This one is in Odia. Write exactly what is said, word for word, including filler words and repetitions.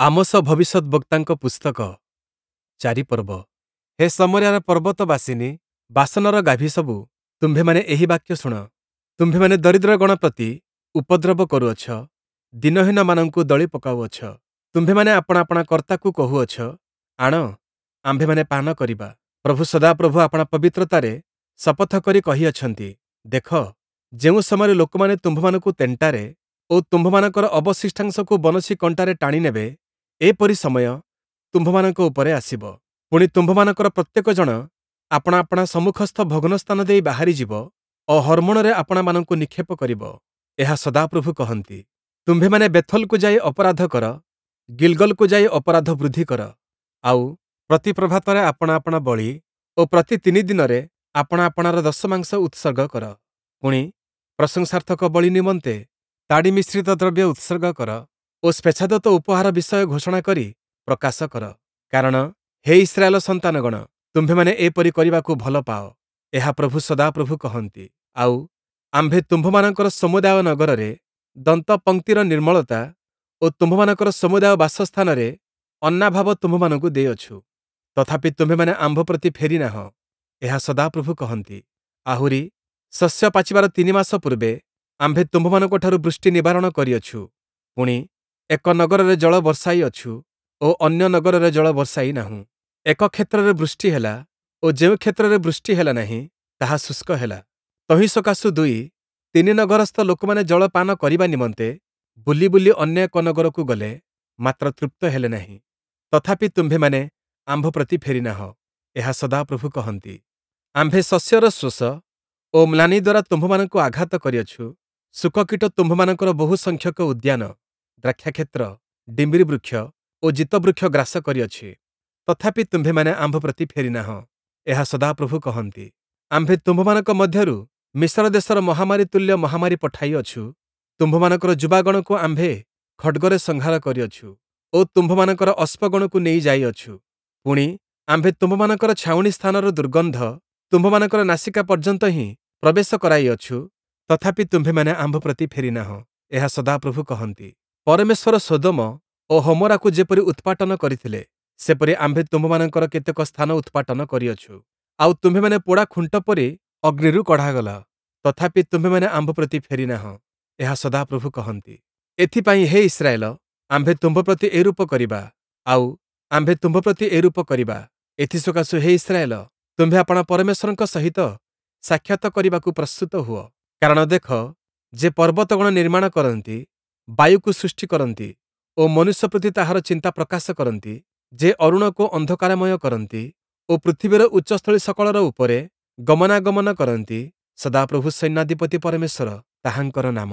ଆମୋଶ ଭବିଷ୍ୟଦ୍‌ବକ୍ତାଙ୍କ ପୁସ୍ତକ, ଚାରି ପର୍ବ। ହେ ଶମରିୟାର ପର୍ବତବାସିନୀ, ବାଶନର ଗାଭୀସବୁ, ତୁମ୍ଭେମାନେ ଏହି ବାକ୍ୟ ଶୁଣ। ତୁମ୍ଭେମାନେ ଦରିଦ୍ରଗଣ ପ୍ରତି ଉପଦ୍ରବ କରୁଅଛ, ଦୀନହୀନମାନଙ୍କୁ ଦଳି ପକାଉଅଛ। ତୁମ୍ଭେମାନେ ଆପଣା ଆପଣା କର୍ତ୍ତାକୁ କହୁଅଛ, ଆଣ, ଆମ୍ଭେମାନେ ପାନ କରିବା। ପ୍ରଭୁ ସଦାପ୍ରଭୁ ଆପଣା ପବିତ୍ରତାରେ ଶପଥ କରି କହିଅଛନ୍ତି, ଦେଖ, ଯେଉଁ ସମୟରେ ଲୋକମାନେ ତୁମ୍ଭମାନଙ୍କୁ ତେଣ୍ଟାରେ ଓ ତୁମ୍ଭମାନଙ୍କର ଅବଶିଷ୍ଟାଂଶକୁ ବନଶୀ କଣ୍ଟାରେ ଟାଣି ନେବେ, ଏପରି ସମୟ ତୁମ୍ଭମାନଙ୍କ ଉପରେ ଆସିବ। ପୁଣି ତୁମ୍ଭମାନଙ୍କର ପ୍ରତ୍ୟେକ ଜଣ ଆପଣା ଆପଣା ସମ୍ମୁଖସ୍ଥ ଭଗ୍ନ ସ୍ଥାନ ଦେଇ ବାହାରିଯିବ ଓ ହର୍ମୋଣରେ ଆପଣାମାନଙ୍କୁ ନିକ୍ଷେପ କରିବ। ଏହା ସଦାପ୍ରଭୁ କହନ୍ତି। ତୁମ୍ଭେମାନେ ବେଥଲକୁ ଯାଇ ଅପରାଧ କର, ଗିଲ୍‌ଗଲକୁ ଯାଇ ଅପରାଧ ବୃଦ୍ଧି କର। ଆଉ ପ୍ରତି ପ୍ରଭାତରେ ଆପଣା ଆପଣା ବଳି ଓ ପ୍ରତି ତିନି ଦିନରେ ଆପଣା ଆପଣାର ଦଶମାଂଶ ଉତ୍ସର୍ଗ କର। ପୁଣି, ପ୍ରଶଂସାର୍ଥକ ବଳି ନିମନ୍ତେ ତାଡ଼ି ମିଶ୍ରିତ ଦ୍ରବ୍ୟ ଉତ୍ସର୍ଗ କର ଓ ସ୍ୱେଚ୍ଛାଦତ୍ତ ଉପହାର ବିଷୟ ଘୋଷଣା କରି ପ୍ରକାଶ କର। କାରଣ ହେ ଇସ୍ରାଏଲ ସନ୍ତାନଗଣ, ତୁମ୍ଭେମାନେ ଏପରି କରିବାକୁ ଭଲ ପାଅ, ଏହା ପ୍ରଭୁ ସଦାପ୍ରଭୁ କହନ୍ତି। ଆଉ ଆମ୍ଭେ ତୁମ୍ଭମାନଙ୍କର ସମୁଦାୟ ନଗରରେ ଦନ୍ତପଂକ୍ତିର ନିର୍ମଳତା ଓ ତୁମ୍ଭମାନଙ୍କର ସମୁଦାୟ ବାସସ୍ଥାନରେ ଅନ୍ନାଭାବ ତୁମ୍ଭମାନଙ୍କୁ ଦେଇଅଛୁ। ତଥାପି ତୁମ୍ଭେମାନେ ଆମ୍ଭ ପ୍ରତି ଫେରି ନାହଁ, ଏହା ସଦାପ୍ରଭୁ କହନ୍ତି। ଆହୁରି ଶସ୍ୟ ପାଚିବାର ତିନି ମାସ ପୂର୍ବେ ଆମ୍ଭେ ତୁମ୍ଭମାନଙ୍କଠାରୁ ବୃଷ୍ଟି ନିବାରଣ କରିଅଛୁ। ପୁଣି, ଏକ ନଗରରେ ଜଳ ବର୍ଷାଇଅଛୁ ଓ ଅନ୍ୟ ନଗରରେ ଜଳ ବର୍ଷାଇ ନାହୁଁ। ଏକ କ୍ଷେତ୍ରରେ ବୃଷ୍ଟି ହେଲା ଓ ଯେଉଁ କ୍ଷେତ୍ରରେ ବୃଷ୍ଟି ହେଲା ନାହିଁ, ତାହା ଶୁଷ୍କ ହେଲା। ତହିଁ ସକାଶୁ ଦୁଇ ତିନି ନଗରସ୍ଥ ଲୋକମାନେ ଜଳ ପାନ କରିବା ନିମନ୍ତେ ବୁଲି ବୁଲି ଅନ୍ୟ ଏକ ନଗରକୁ ଗଲେ, ମାତ୍ର ତୃପ୍ତ ହେଲେ ନାହିଁ। ତଥାପି ତୁମ୍ଭେମାନେ ଆମ୍ଭ ପ୍ରତି ଫେରିନାହଁ, ଏହା ସଦାପ୍ରଭୁ କହନ୍ତି। ଆମ୍ଭେ ଶସ୍ୟର ଶୋଷ ଓ ମ୍ଳାନି ଦ୍ୱାରା ତୁମ୍ଭମାନଙ୍କୁ ଆଘାତ କରିଅଛୁ। ଶୁକକୀଟ ତୁମ୍ଭମାନଙ୍କର ବହୁ ସଂଖ୍ୟକ ଉଦ୍ୟାନ, ଦ୍ରାକ୍ଷାକ୍ଷେତ୍ର, ଡିମ୍ବିରି ବୃକ୍ଷ ଓ ଜିତବୃକ୍ଷ ଗ୍ରାସ କରିଅଛି। ତଥାପି ତୁମ୍ଭେମାନେ ଆମ୍ଭ ପ୍ରତି ଫେରିନାହଁ, ଏହା ସଦାପ୍ରଭୁ କହନ୍ତି। ଆମ୍ଭେ ତୁମ୍ଭମାନଙ୍କ ମଧ୍ୟରୁ ମିଶର ଦେଶର ମହାମାରୀ ତୁଲ୍ୟ ମହାମାରୀ ପଠାଇଅଛୁ। ତୁମ୍ଭମାନଙ୍କର ଯୁବାଗଣକୁ ଆମ୍ଭେ ଖଡ଼୍ଗରେ ସଂହାର କରିଅଛୁ ଓ ତୁମ୍ଭମାନଙ୍କର ଅଶ୍ବଗଣକୁ ନେଇ ଯାଇଅଛୁ। ପୁଣି, ଆମ୍ଭେ ତୁମ୍ଭମାନଙ୍କର ଛାଉଣି ସ୍ଥାନର ଦୁର୍ଗନ୍ଧ ତୁମ୍ଭମାନଙ୍କର ନାସିକା ପର୍ଯ୍ୟନ୍ତ ହିଁ ପ୍ରବେଶ କରାଇଅଛୁ। ତଥାପି ତୁମ୍ଭେମାନେ ଆମ୍ଭ ପ୍ରତି ଫେରିନାହଁ, ଏହା ସଦାପ୍ରଭୁ କହନ୍ତି। ପରମେଶ୍ୱର ସୋଦମ ଓ ଗମୋରାକୁ ଯେପରି ଉତ୍ପାଟନ କରିଥିଲେ, ସେପରି ଆମ୍ଭେ ତୁମ୍ଭମାନଙ୍କର କେତେକ ସ୍ଥାନ ଉତ୍ପାଟନ କରିଅଛୁ। ଆଉ ତୁମ୍ଭେମାନେ ପୋଡ଼ା ଖୁଣ୍ଟ ପରି ଅଗ୍ନିରୁ କଢ଼ାଗଲ। ତଥାପି ତୁମ୍ଭେମାନେ ଆମ୍ଭ ପ୍ରତି ଫେରିନାହଁ, ଏହା ସଦାପ୍ରଭୁ କହନ୍ତି। ଏଥିପାଇଁ ହେ ଇସ୍ରାଏଲ, ଆମ୍ଭେ ତୁମ୍ଭ ପ୍ରତି ଏରୂପ କରିବା, ଆଉ ଆମ୍ଭେ ତୁମ୍ଭ ପ୍ରତି ଏରୂପ କରିବା। ଏଥିସକାଶୁ ହେ ଇସ୍ରାଏଲ, ତୁମ୍ଭେ ଆପଣା ପରମେଶ୍ୱରଙ୍କ ସହିତ ସାକ୍ଷାତ କରିବାକୁ ପ୍ରସ୍ତୁତ ହୁଅ। କାରଣ ଦେଖ, ଯେ ପର୍ବତଗଣ ନିର୍ମାଣ କରନ୍ତି, ବାୟୁକୁ ସୃଷ୍ଟି କରନ୍ତି ଓ ମନୁଷ୍ୟ ପ୍ରତି ତାହାର ଚିନ୍ତା ପ୍ରକାଶ କରନ୍ତି, ଯେ ଅରୁଣକୁ ଅନ୍ଧକାରମୟ କରନ୍ତି ଓ ପୃଥିବୀର ଉଚ୍ଚସ୍ଥଳୀ ସକଳର ଉପରେ ଗମନାଗମନ କରନ୍ତି, ସଦାପ୍ରଭୁ ସୈନ୍ୟାଧିପତି ପରମେଶ୍ୱର ତାହାଙ୍କର ନାମ।